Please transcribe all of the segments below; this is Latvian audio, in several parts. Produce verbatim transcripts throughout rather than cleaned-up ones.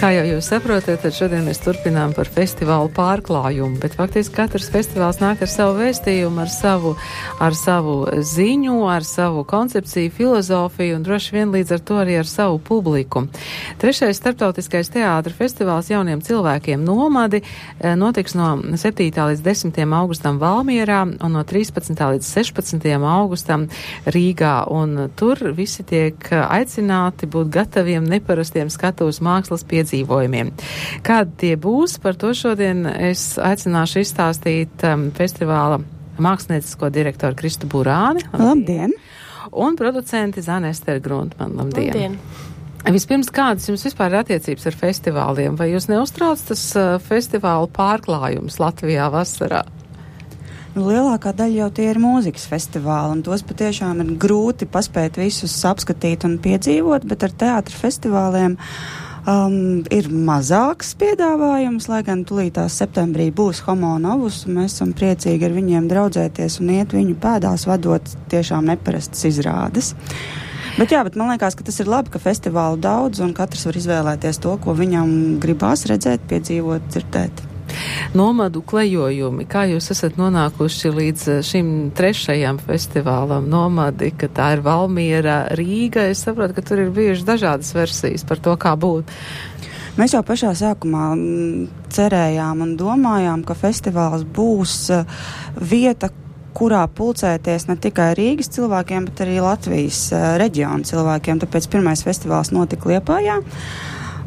Kā jau jūs saprotat, tad šodien mēs turpinām par festivālu pārklājumu, bet faktiski katrs festivāls nāk ar savu vēstījumu, ar savu, ar savu ziņu, ar savu koncepciju, filozofiju un droši vien līdz ar to arī ar savu publiku. Trešais starptautiskais teātra festivāls jauniem cilvēkiem Nomadi notiks no septītā līdz desmitajam augustam Valmierā un no trīspadsmitā līdz sešpadsmitajam augustam Rīgā, un tur visi tiek aicināti būt gataviem neparastiem skatuves mākslas piedzīvojumiem. Kādi tie būs, par to šodien es aicināšu izstāstīt um, festivāla māksliniecisko direktoru Kristu Burāni. Labdien! Un producenti Zane Ester Gruntman. Labdien! Labdien! Vispirms, kādas jums vispār ir attiecības ar festivāliem? Vai jūs neuztrauc tas uh, festivālu pārklājums Latvijā vasarā? Nu, lielākā daļa jau tie ir mūzikas festivāli, un tos patiešām ir grūti paspēt visus apskatīt un piedzīvot, bet ar teātra festivāliem um, ir mazāks piedāvājums, lai gan tulītās septembrī būs Homo Novus, un mēs esam priecīgi ar viņiem draudzēties un iet viņu pēdās, vadot tiešām neparastas izrādes. Bet jā, bet man liekas, ka tas ir labi, ka festivālu daudz, un katrs var izvēlēties to, ko viņam gribās redzēt, piedzīvot, dzirdēt. Nomadu klejojumi. Kā jūs esat nonākuši līdz šim trešajam festivālam Nomadi, ka tā ir Valmiera, Rīga? Es saprotu, ka tur ir bijušas dažādas versijas par to, kā būt. Mēs jau pašā sākumā cerējām un domājām, ka festivāls būs vieta, kurā pulcēties ne tikai Rīgas cilvēkiem, bet arī Latvijas reģionu cilvēkiem. Tāpēc pirmais festivāls notika Liepājā.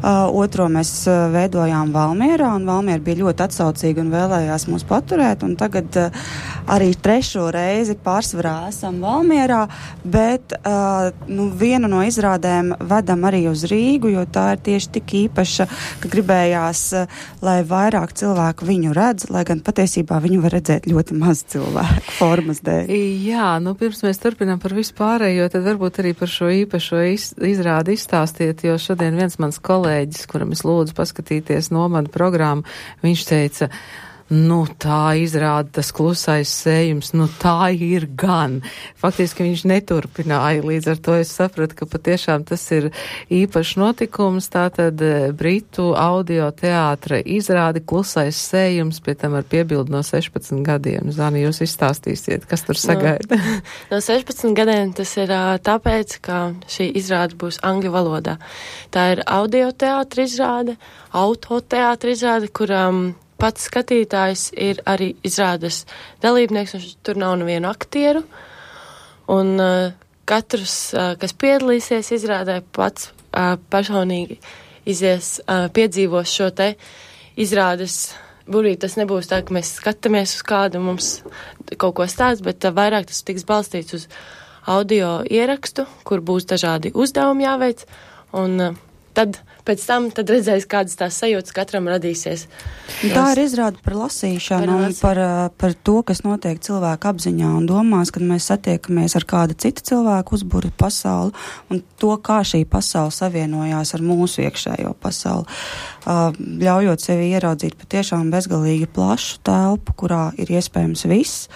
Uh, otro mēs uh, veidojām Valmierā, un Valmiera bija ļoti atsaucīga un vēlējās mūs paturēt, un tagad uh, arī trešo reizi pārsvarā esam Valmierā, bet uh, nu, vienu no izrādēm vedam arī uz Rīgu, jo tā ir tieši tik īpaša, ka gribējās, uh, lai vairāk cilvēku viņu redz, lai gan patiesībā viņu var redzēt ļoti maz cilvēku formas dēļ. Jā, nu pirms mēs turpinām par visu pārējo, tad varbūt arī par šo īpašo iz, izrādi izstāstiet, jo šodien viens mans kolēģis, kuram es lūdzu paskatīties Nomadu programmu, viņš teica, nu tā izrāda tas klusais sējums, nu tā ir gan. Faktiski viņš neturpināja, līdz ar to es sapratu, ka patiešām tas ir īpašs notikums, tātad Britu audio teātra izrādi klusais sējums, pie tam ar piebildu no sešpadsmit gadiem. Zani, jūs izstāstīsiet, kas tur sagaida? No, no sešpadsmit gadiem tas ir uh, tāpēc, ka šī izrāde būs angļu valodā. Tā ir audio teātra izrāde, auto teātra izrāde, kurām pats skatītājs ir arī izrādes dalībnieks, un tur nav nevienu aktieru, un uh, katrs, uh, kas piedalīsies izrādē, pats uh, personīgi izies, uh, piedzīvos šo te izrādes. Burī tas nebūs tā, ka mēs skatāmies uz kādu, mums kaut ko stāst, bet uh, vairāk tas tiks balstīts uz audio ierakstu, kur būs dažādi uzdevumi jāveic, un uh, tad pēc tam tad redzēs, kādas tās sajūtas katram radīsies. Tā ir izrāda par lasīšanu par un par, par to, kas notiek cilvēku apziņā un domās, kad mēs satiekamies ar kādu citu cilvēku uzburu pasauli un to, kā šī pasaule savienojās ar mūsu iekšējo pasauli. Ļaujot sevi ieraudzīt patiešām bezgalīgi plašu telpu, kurā ir iespējams viss,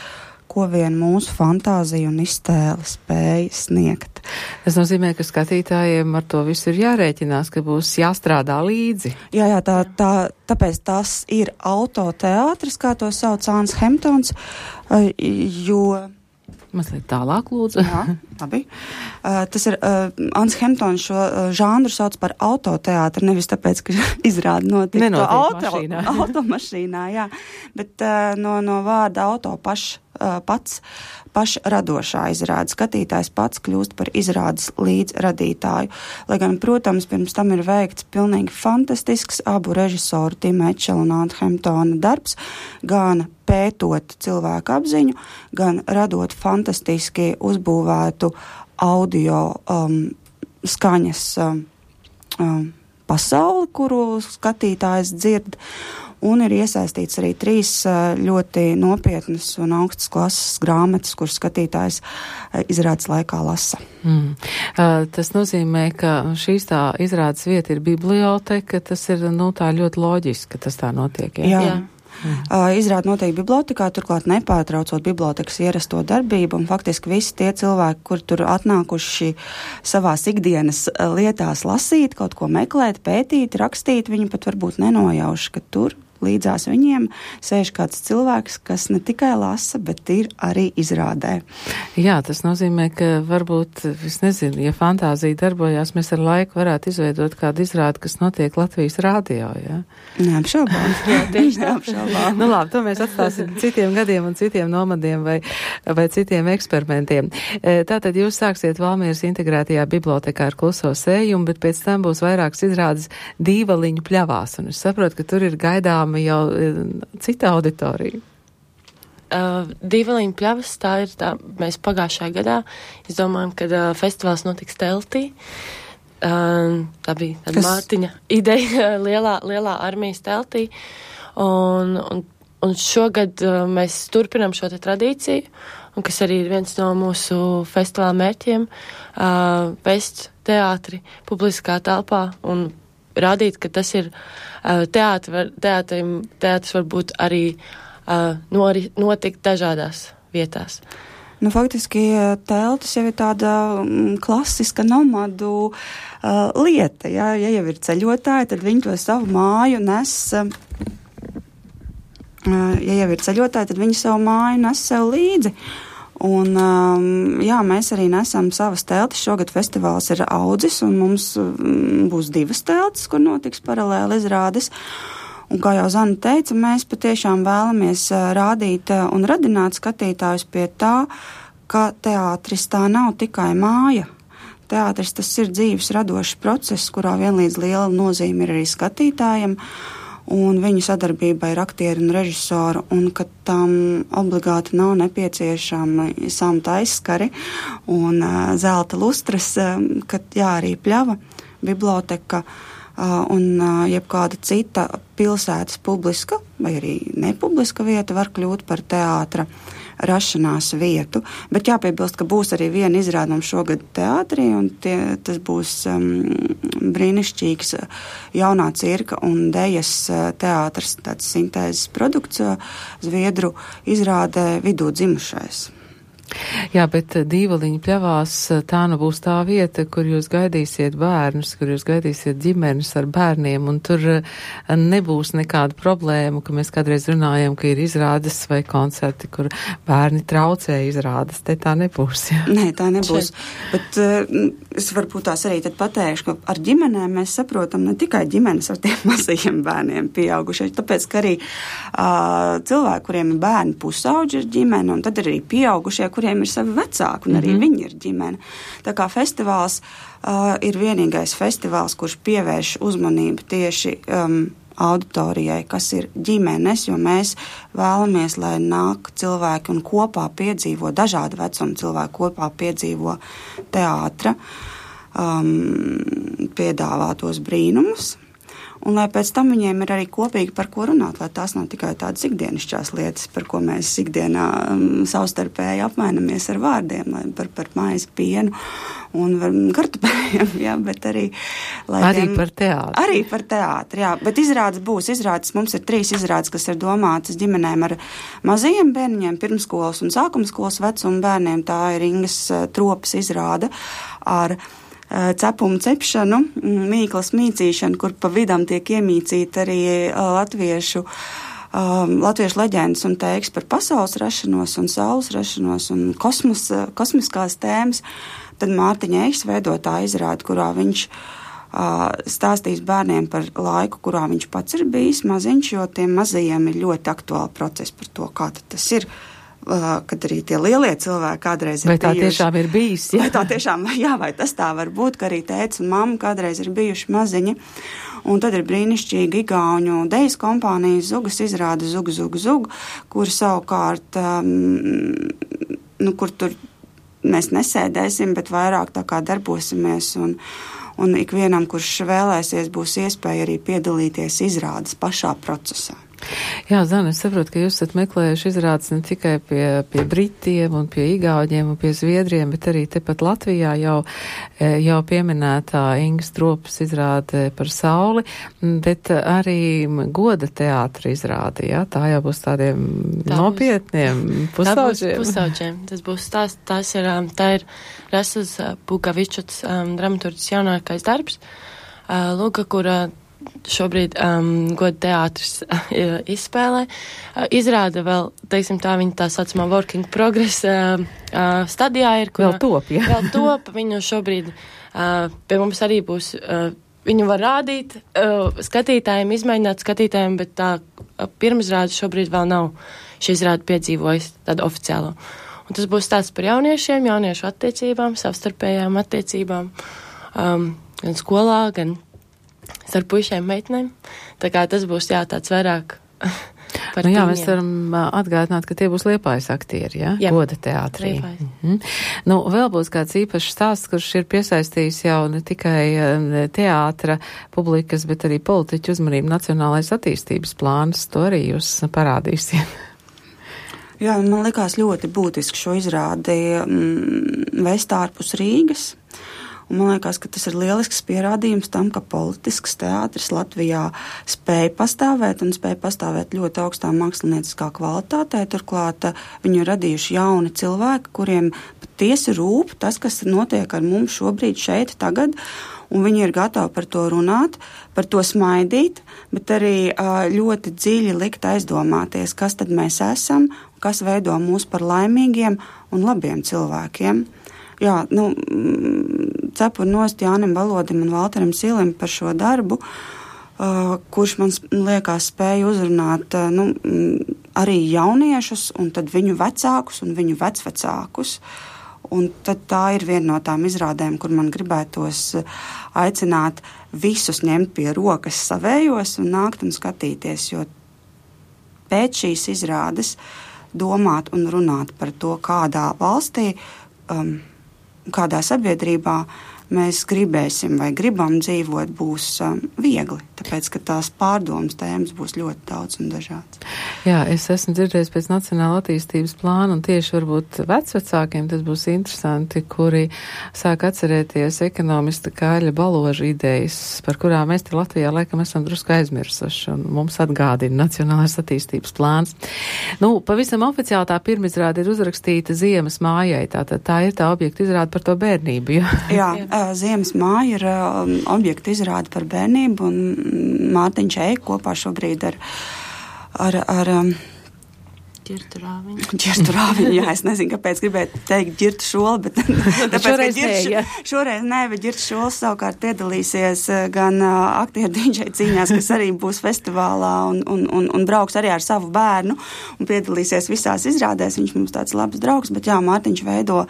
ko vien mūsu fantāzija un iztēle spēja sniegt. Tas nozīmē, ka skatītājiem ar to visu ir jārēķinās, ka būs jāstrādā līdzi. Jā, jā, tā, tā, tāpēc tas ir autoteātris, kā to sauc Āns Hemptons, jo... Mazliet tālāk, lūdzu. Jā, labi. Uh, tas ir, uh, Āns Hemptons šo uh, žānru sauc par autoteātri, nevis tāpēc, ka izrāda notiek to auto, mašīnā. automašīnā, jā, bet uh, no, no vārda auto paš, uh, pats pašradošā izrāde. Skatītājs pats kļūst par izrādes līdzradītāju. Lai gan, protams, pirms tam ir veikts pilnīgi fantastisks abu režisoru Tima Etchela un Āna Hemptona darbs, gan pētot cilvēku apziņu, gan radot fantastiski uzbūvētu audio um, skaņas um, um, pasauli, kuru skatītājs dzird. Un ir iesaistīts arī trīs ļoti nopietnas un augstas klases grāmatas, kuras skatītājs izrādes laikā lasa. Mm. Uh, tas nozīmē, ka šīs tā izrādes vieta ir biblioteka, tas ir, nu, tā ļoti loģiski, ka tas tā notiek. Jā, jā. jā. Mm. Uh, izrāda notiek bibliotekā, turklāt nepārtraucot bibliotekas ierasto darbību, un faktiski visi tie cilvēki, kur tur atnākuši savās ikdienas lietās lasīt, kaut ko meklēt, pētīt, rakstīt, viņi pat varbūt nenojauši, ka tur līdzās viņiem sēž kāds cilvēks, kas ne tikai lasa, bet ir arī izrādē. Jā, tas nozīmē, ka varbūt, es nezinu, ja fantāzija darbojās, mēs ar laiku varētu izveidot kādu izrādi, kas notiek Latvijas rādio, jā? Neapšaubām. Jā, tieši neapšaubām. Nu labi, to mēs atstāsim citiem gadiem un citiem nomadiem vai, vai citiem eksperimentiem. Tātad jūs sāksiet Valmieras integrētajā bibliotekā ar kluso sējumu, bet pēc tam būs vairākas izrādes Dīvaliņu pļavās, un es saprotu, ka tur ir gaidām jau cita auditorija. Uh, Dīvaliņu pļavas, tā ir tā, mēs pagājušajā gadā izdomājam, kad uh, festivāls notiks teltī. Uh, tā bija tāda kas... Mārtiņa ideja lielā, lielā armijas teltī. Un, un, un šogad uh, mēs turpinam šo te tradīciju, un kas arī ir viens no mūsu festivāla mērķiem, uh, vest teātri publiskā telpā un rādīt, ka tas ir uh, teātri, teātrim, teātris var būt arī uh, nori, notikt dažādās vietās. Nu, faktiski teltis jau ir tāda mm, klasiska nomadu uh, lieta. Ja? Ja jau ir ceļotāji, tad viņi to savu māju nes. Uh, ja jau ir ceļotāji, tad viņi savu māju nes sev līdzi. Un, um, jā, mēs arī nesam savas teltis. Šogad festivāls ir audzis, un mums um, būs divas teltis, kur notiks paralēli izrādes. Un, kā jau Zana teica, mēs patiešām vēlamies uh, rādīt uh, un radināt skatītājus pie tā, ka teātris tā nav tikai māja. Teātris tas ir dzīves radošs process, kurā vienlīdz liela nozīme ir arī skatītājiem. Un viņu sadarbībai ar aktieru un režisoru, un ka tam obligāti nav nepieciešami samta aizskari un uh, zelta lustras, uh, ka jā, arī pļava, biblioteka uh, un uh, jebkāda cita pilsētas publiska vai arī nepubliska vieta var kļūt par teātra rašanās vietu. Bet jāpiebilst, ka būs arī viena izrādījuma šogad teātrī, un tie, tas būs um, brīnišķīgs jaunā cirka un dejas teātrs, tāds sintēzes produkts, Zviedru izrādē Vidū dzimušais. Jā, bet Dīvaliņu pļavās tā nu būs tā vieta, kur jūs gaidīsiet bērnus, kur jūs gaidīsiet ģimenes ar bērniem, un tur nebūs nekāda problēma, ka mēs kādreiz runājam, ka ir izrādes vai koncerti, kur bērni traucē izrādes. Te tā nebūs, jā. Nē, tā nebūs. Bet uh, es varbūt tās arī tad pateikšu, ka ar ģimenēm mēs saprotam ne tikai ģimenes ar tiem mazajiem bērniem pieaugušie, tāpēc, ka arī uh, cilvēki, kuriem ir bērni pusauģi ir ģimene, un tad arī pieaugušie, kuriem ir savi vecāki, un arī mm-hmm. viņi ir ģimene. Tā kā festivāls uh, ir vienīgais festivāls, kurš pievērš uzmanību tieši um, auditorijai, kas ir ģimenes, jo mēs vēlamies, lai nāk cilvēki un kopā piedzīvo, dažādi vecuma cilvēki kopā piedzīvo teātra um, piedāvātos brīnumus. Un lai pēc tam viņiem ir arī kopīgi par ko runāt, lai tās nav tikai tādas ikdienišķās lietas, par ko mēs ikdienā um, savstarpēji apmainamies ar vārdiem, lai par, par maizi, pienu un kartupeļiem, jā, bet arī... Lai arī tiem, par teātri. Arī par teātri, jā, bet izrādes būs, izrādes, mums ir trīs izrādes, kas ir domātas ģimenēm ar mazajiem bērniņiem, pirmskolas un sākumskolas vecuma bērniem, tā ir Ingas Tropas izrāde ar cepumu cepšanu, mīklas mīcīšanu, kur pa vidam tiek iemīcīta arī latviešu, um, latviešu leģendas un teiks par pasaules rašanos un saules rašanos un kosmos, kosmiskās tēmas. Tad Mārtiņa Eiks veido tā izrāde, kurā viņš uh, stāstīs bērniem par laiku, kurā viņš pats ir bijis maziņš, jo tiem mazajiem ir ļoti aktuāli procesi par to, kā tad tas ir. Kad arī tie lielie cilvēki kādreiz ir vai tā bijuši. Tiešām ir bijis, jā? Vai tā tiešām, jā, vai tas tā var būt, ka arī tēts un mamma kādreiz ir bijuši maziņi. Un tad ir brīnišķīgi igauņu dejas kompānijas Zugas izrāda Zug, Zug, Zug, kur savukārt, um, nu, kur tur mēs nesēdēsim, bet vairāk tā kā darbosimies un, un ikvienam, kurš vēlēsies, būs iespēja arī piedalīties izrādes pašā procesā. Jā, Zana, es saprotu, ka jūs esat meklējuši izrādes ne tikai pie, pie Britiem un pie Igauņiem un pie Zviedriem, bet arī tepat Latvijā jau, jau pieminētā Inga Stropas izrāde par sauli, bet arī goda teātra izrāde, jā? Tā jau būs tādiem tā nopietniem pusauģiem. Tā būs pusauģiem. Tas būs tās, tās ir, tā ir Rasas Bukavičuts um, dramaturģis jaunākais darbs, uh, Lūga, kura šobrīd um, goda teātris uh, izspēlē. Uh, izrāda vēl, teiksim tā, viņa tā saucamā working progress uh, uh, stadijā ir, kur vēl top, jā. vēl top, viņu šobrīd uh, pie mums arī būs, uh, viņu var rādīt uh, skatītājiem, izmēģināt skatītājiem, bet tā uh, pirmizrāde šobrīd vēl nav šī izrāde piedzīvojis tādu oficiālo. Un tas būs stāsts par jauniešiem, jauniešu attiecībām, savstarpējām attiecībām, um, gan skolā, gan starp puišiem meitnēm. Tā kā tas būs, jā, tāds vairāk par nu, jā, tīņiem. mēs varam atgādināt, ka tie būs Liepājas aktieri, jā? Jā. Goda teātrī. Mhm. Nu, vēl būs kāds īpašs stāsts, kurš ir piesaistījis jau ne tikai teātra publikas, bet arī politiķu uzmanību Nacionālais attīstības plāns. To arī jūs parādīsiet. Jā, man likās ļoti būtiski šo izrādi mm, vest ārpus Rīgas. Un man liekas, ka tas ir lielisks pierādījums tam, ka politisks teātris Latvijā spēja pastāvēt un spēja pastāvēt ļoti augstā mākslinieciskā kvalitātē. Turklāt viņu radījuši jauni cilvēki, kuriem patiesi rūp tas, kas notiek ar mums šobrīd šeit tagad. Un viņi ir gatavi par to runāt, par to smaidīt, bet arī ļoti dziļi likt aizdomāties, kas tad mēs esam, kas veido mūs par laimīgiem un labiem cilvēkiem. Jā, nu, cepur nost Jānim Valodim un Valteram Silim par šo darbu, uh, kurš man liekas spēja uzrunāt uh, nu, arī jauniešus un tad viņu vecākus un viņu vecvecākus. Un tad tā ir viena no tām izrādēm, kur man gribētos aicināt visus ņemt pie rokas savējos un nākt un skatīties, jo pēc šīs izrādes domāt un runāt par to, kādā valstī, um, kādā sabiedrībā mēs gribēsim vai gribam dzīvot, būs um, viegli, tāpēc, ka tās pārdomas tēmas būs ļoti daudz un dažādas. Jā, es esmu dzirdējis pēc Nacionāla attīstības plāna, un tieši varbūt vecvecākiem tas būs interesanti, kuri sāk atcerēties ekonomista Kāļa Baloža idejas, par kurām mēs te Latvijā laikam esam drusku aizmirsuši, un mums atgādina Nacionālais attīstības plāns. Nu, pavisam oficiāli tā pirmizrāde ir uzrakstīta Ziemas mājai, tātad tā ir tā objekta izrāde par to bērnību. Jā, jā. Ziemas māja ir um, objekta izrāde par bērnību, un Mārtiņš Eik kopā šobrīd ar, ar, ar um, Ģirtu Rāviņu. Ģirtu Rāviņu, jā, es nezinu, kāpēc gribētu teikt Ģirtu Šoli, bet tāpēc, šoreiz, ka ģirtu, nē, šoreiz nē, bet Ģirtu Šols savukārt piedalīsies gan uh, aktieru dīdžeju cīņās, kas arī būs festivālā un, un, un, un brauks arī ar savu bērnu un piedalīsies visās izrādēs. Viņš mums tāds labs draugs, bet jā, Mārtiņš veido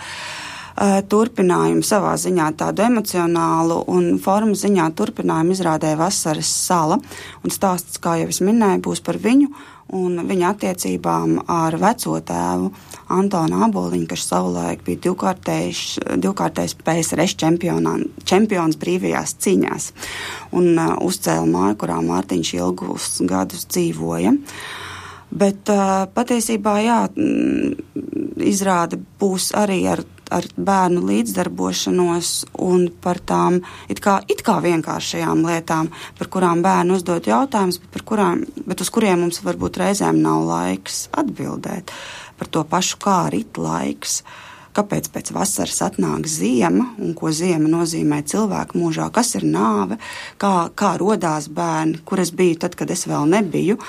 turpinājumu savā ziņā tādu emocionālu un formu ziņā turpinājumu izrādē Vasaras sala. Un stāsts, kā jau es minēju, būs par viņu un viņa attiecībām ar veco tēvu Antonu Āboliņu, kas savulaik bija divkārtējs, divkārtējs P S R čempions brīvajās cīņās un uh, uzcēla māju, kurā Mārtiņš ilgus gadus dzīvoja. Bet uh, patiesībā, jā, izrāde būs arī ar ar bērnu līdzdarbošanos un par tām it kā, it kā vienkāršajām lietām, par kurām bērni uzdod jautājumus, bet, par kurām, bet uz kuriem mums varbūt reizēm nav laiks atbildēt. Par to pašu, kā rit laiks, kāpēc pēc vasaras atnāk ziema un ko ziema nozīmē cilvēku mūžā, kas ir nāve, kā, kā rodās bērni, kur es biju tad, kad es vēl nebiju.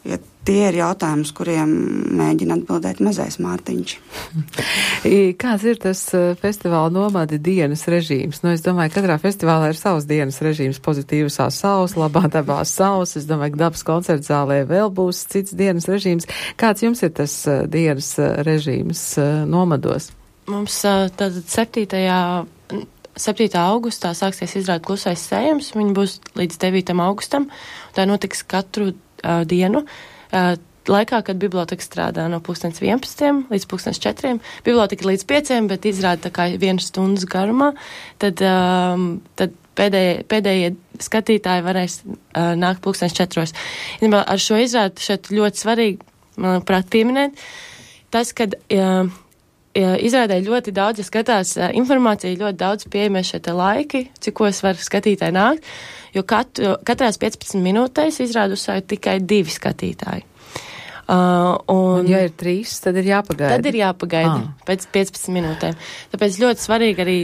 Ja tie ir jautājums, kuriem mēģina atbildēt mazais Mārtiņš. Kāds ir tas festivāla nomadi dienas režīms? Nu, es domāju, katrā festivālā ir savs dienas režīms, pozitīvasā saules, labā dabā saules. Es domāju, ka dabas koncerta zālē vēl būs cits dienas režīms. Kāds jums ir tas dienas režīms nomados? Mums tātad septītajā septītā augustā sāksies izrāde Klusais sējums. Viņa būs līdz devītam augustam. Tā notiks katru uh, dienu. Uh, laikā, kad biblioteka strādā no pulkstens vienpadsmitiem līdz pulkstens četriem, biblioteka līdz pieciem, bet izrāda tā kā vienas stundas garumā, tad, um, tad pēdējie, pēdējie skatītāji varēs uh, nākt pulkstens četros. Ar šo izrādi šeit ļoti svarīgi, manuprāt, pieminēt, tas, kad uh, izrādē ļoti daudz, ja skatās uh, informāciju, ļoti daudz pieejamie šeit laiki, cikos var skatītāji nākt, jo katru, katrās piecpadsmit minūtēs izrādu uzsākt tikai divi skatītāji. Uh, un, un ja ir trīs, tad ir jāpagaida. Tad ir jāpagaida ah. pēc piecpadsmit minūtēm. Tāpēc ļoti svarīgi arī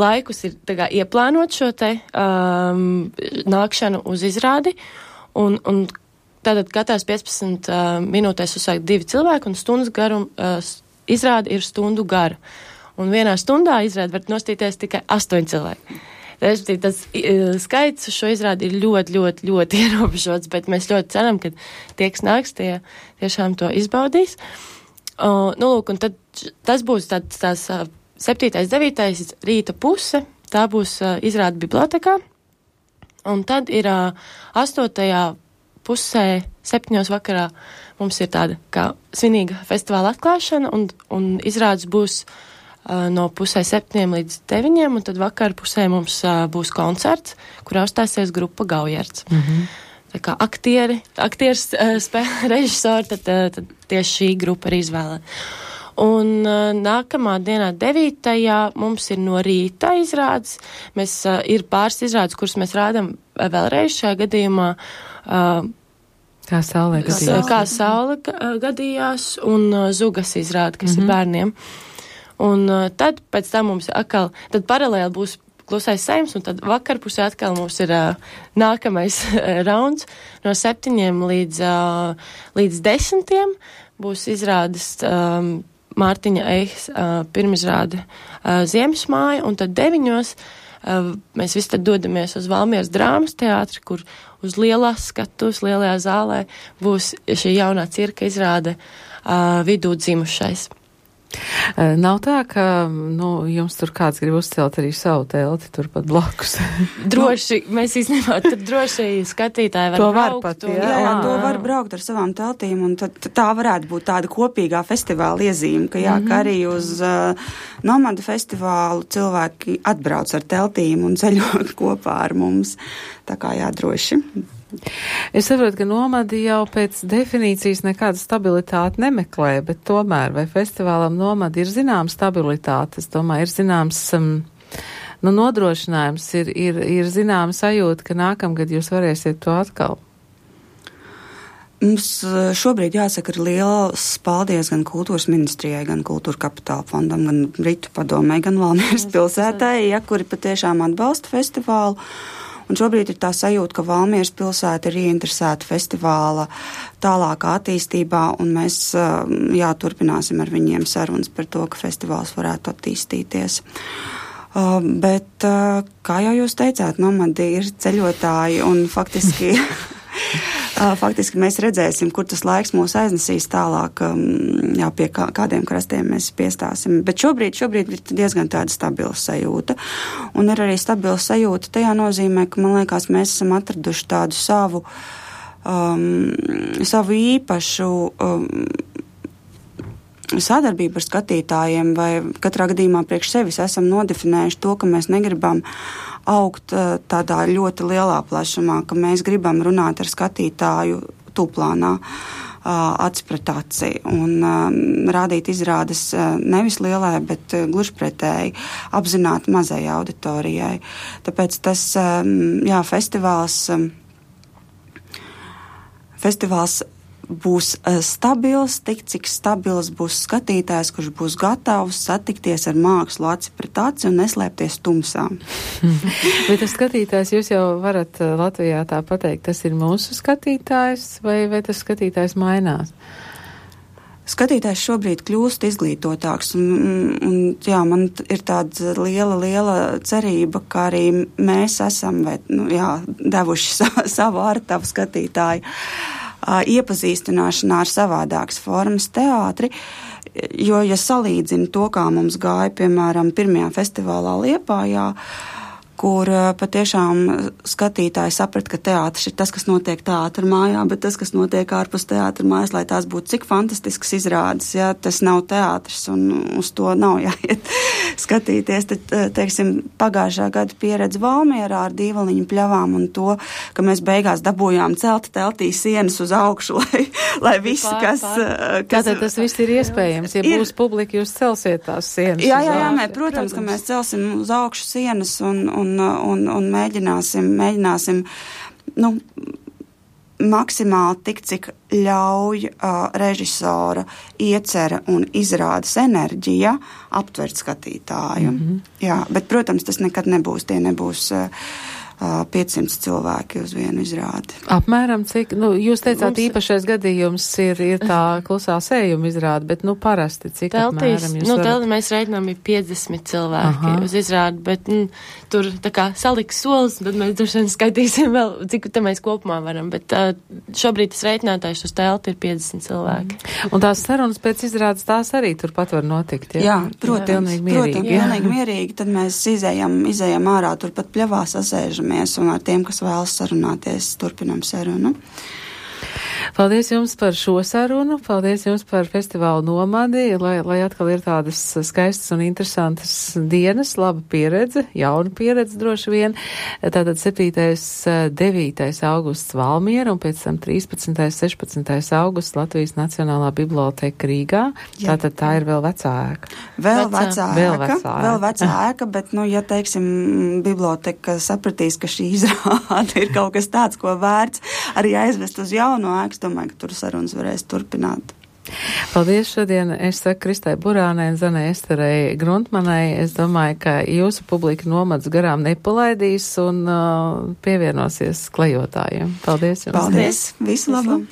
laikus ir tā ieplānot šo te um, nākšanu uz izrādi, un, un tātad katrās piecpadsmit uh, minūtēs uzsākt divi cilvēki, un stundas garum uh, izrādi ir stundu gara. Un vienā stundā izrādi var nostīties tikai astoņi cilvēki. Respektīvi, tas uh, skaits uz šo izrādi ir ļoti, ļoti, ļoti ierobežots, bet mēs ļoti ceram, ka tie, kas nāks, tie tiešām to izbaudīs. Uh, nu, lūk, un tad tas būs tāds, tās uh, septītais, devītais rīta puse, tā būs uh, izrāda bibliotekā, un tad ir uh, astotajā pusē, septiņos vakarā mums ir tāda kā svinīga festivāla atklāšana, un, un izrādes būs no pusē septiņiem līdz deviņiem, un tad vakar pusē mums uh, būs koncerts, kurā uzstāsies grupa Gaujerts. Mm-hmm. Tā kā aktieri, aktieris uh, spēlē režisori, tad, uh, tad tieši šī grupa ir izvēlēta. Un uh, nākamā dienā devītajā mums ir no rīta izrādes. Mēs uh, ir pāris izrādes, kuras mēs rādam uh, vēlreiz šajā gadījumā. Uh, kā saule gadījās. Kā saule uh, gadījās, un uh, Zugas izrāde, kas mm-hmm. ir bērniem. Un uh, tad pēc tam mums atkal, tad paralēli būs klusais saims, un tad vakarpusē atkal mums ir uh, nākamais uh, rauns no septiņiem līdz, uh, līdz desmitiem būs izrādes um, Mārtiņa Eihas uh, pirmizrāde uh, Ziemesmāja, un tad deviņos uh, mēs visi tad dodamies uz Valmieras drāmas teātri, kur uz lielās skatuves, lielajā zālē būs šī jaunā cirka izrāde uh, Vidū dzimušais. Nav tā, ka nu, jums tur kāds grib uzcelt arī savu telti turpat blakus. Droši, mēs īstenībā tur droši skatītāji var to braukt. Var pat, un, jā, jā, to var braukt ar savām teltīm, un tad tā varētu būt tāda kopīgā festivāla iezīme, ka jā, mm-hmm. ka arī uz uh, Nomada festivālu cilvēki atbrauc ar teltīm un ceļot kopā ar mums. Tā kā jā, droši. Es saprotu, ka Nomadi jau pēc definīcijas nekādu stabilitāti nemeklē, bet tomēr, vai festivālam Nomadi ir zināma stabilitāte? Es domāju, ir zināms um, nu, nodrošinājums, ir, ir, ir zināma sajūta, ka nākamgad jūs varēsiet to atkal. Mums šobrīd jāsaka ir liels paldies gan kultūras ministrijai, gan kultūra kapitāla fondam, gan Britu padomei, gan Valmieras pilsētai, ja, kuri patiešām atbalsta festivālu. Un šobrīd ir tā sajūta, ka Valmieras pilsēta ir ieinteresēta festivāla tālākā attīstībā, un mēs, jā, turpināsim ar viņiem sarunas par to, ka festivāls varētu attīstīties. Uh, bet, uh, kā jau jūs teicāt, Nomadi ir ceļotāji, un faktiski, uh, faktiski mēs redzēsim, kur tas laiks mūs aiznesīs tālāk, um, jā, pie kā, kādiem krastiem mēs piestāsim. Bet šobrīd, šobrīd ir diezgan tāda stabila sajūta. Un ir arī stabila sajūta tajā nozīmē, ka, man liekas, mēs esam atraduši tādu savu, um, savu īpašu um, sadarbību ar skatītājiem, vai katrā gadījumā priekš sevis esam nodefinējuši to, ka mēs negribam augt uh, tādā ļoti lielā plašumā, ka mēs gribam runāt ar skatītāju tūplānā, uh, aci pret aci, un um, rādīt izrādes uh, nevis lielai, bet uh, gluži pretēji apzināti mazai auditorijai. Tāpēc tas, um, jā, festivāls, um, festivāls būs uh, stabils, tik cik stabils būs skatītājs, kurš būs gatavs satikties ar mākslu aci pret aci un neslēpties tumsā. Bet tas skatītājs, jūs jau varat Latvijā tā pateikt, tas ir mūsu skatītājs, vai, vai tas skatītājs mainās? Skatītājs šobrīd kļūst izglītotāks, un, un jā, man ir tāda liela, liela cerība, ka arī mēs esam, vai, nu, jā, devuši sa, savu ārtavu skatītāju iepazīstināšanā ar savādākas formas teātri, jo, ja salīdzina to, kā mums gāja, piemēram, pirmajā festivālā Liepājā, kur patiešām skatītāji saprat, ka teātris ir tas, kas notiek teātra mājā, bet tas, kas notiek ārpus teātra mājas, lai tās būtu cik fantastisks izrādes, ja tas nav teātris un uz to nav jāiet skatīties. Tad, teiksim, pagājušā gada pieredze Valmierā ar dīvaliņu pļavām un to, ka mēs beigās dabūjām celta teltī sienas uz augšu, lai, lai visi, kas... kas Tātad tas viss ir iespējams, ja ir, būs publika, jūs celsiet tās sienas. Jā, jā, jā, mē, protams, protams, ka mēs celsim uz augšu sienas un, un Un, un, un mēģināsim, mēģināsim nu, maksimāli tik, cik ļauj uh, režisora iecera un izrādes enerģija aptvert skatītāju. Mm-hmm. Jā, bet, protams, tas nekad nebūs, tie nebūs uh, piecsimt cilvēki uz vienu izrādi. Apmēram cik, nu, jūs teicāt, mums... īpašais gadījums ir, ir tā klusā sējuma izrāde, bet, nu, parasti cik teltīs, apmēram jūs nu, varat... teltī mēs reiķinām ir piecdesmit cilvēki Aha. uz izrādi, bet, nu, tur tā kā saliks solis, tad mēs droši vien skaitīsim vēl, cik te mēs kopumā varam, bet uh, šobrīd tas reiķinātājs uz telti ir piecdesmit cilvēki. Mm. Un tās sarunas pēc izrādes tās arī turpat var notikt, ja? Jā, protams, pilnīgi mierīgi. Protams, pilnīgi mierīgi, tad mēs izējam, izējam ārā, turpat pļavā sasēžam un ar tiem, kas vēlas sarunāties, turpinam sarunu. Paldies jums par šo sarunu, paldies jums par festivālu nomadi, lai, lai atkal ir tādas skaistas un interesantas dienas, laba pieredze, jauna pieredze droši vien. Tātad septītais, devītais augusts Valmiera un pēc tam trīspadsmitais, sešpadsmitais augusts Latvijas Nacionālā biblioteka Rīgā. Jā. Tātad tā ir vēl vecā ēka. Vēl vecā, vēl vecā ēka. Vēl vecā ēka, bet, nu, ja, teiksim, biblioteka sapratīs, ka šī izrāde ir kaut kas tāds, ko vērts arī aizvest uz jauno ēku, es domāju, ka tur sarunas varēs turpināt. Paldies šodien. Es saku Kristai Burānai un Zanai Esterei Gruntmanai. Es domāju, ka jūsu publika nomads garām nepalaidīs un uh, pievienosies klejotājiem. Paldies jums. Paldies. Visu labu.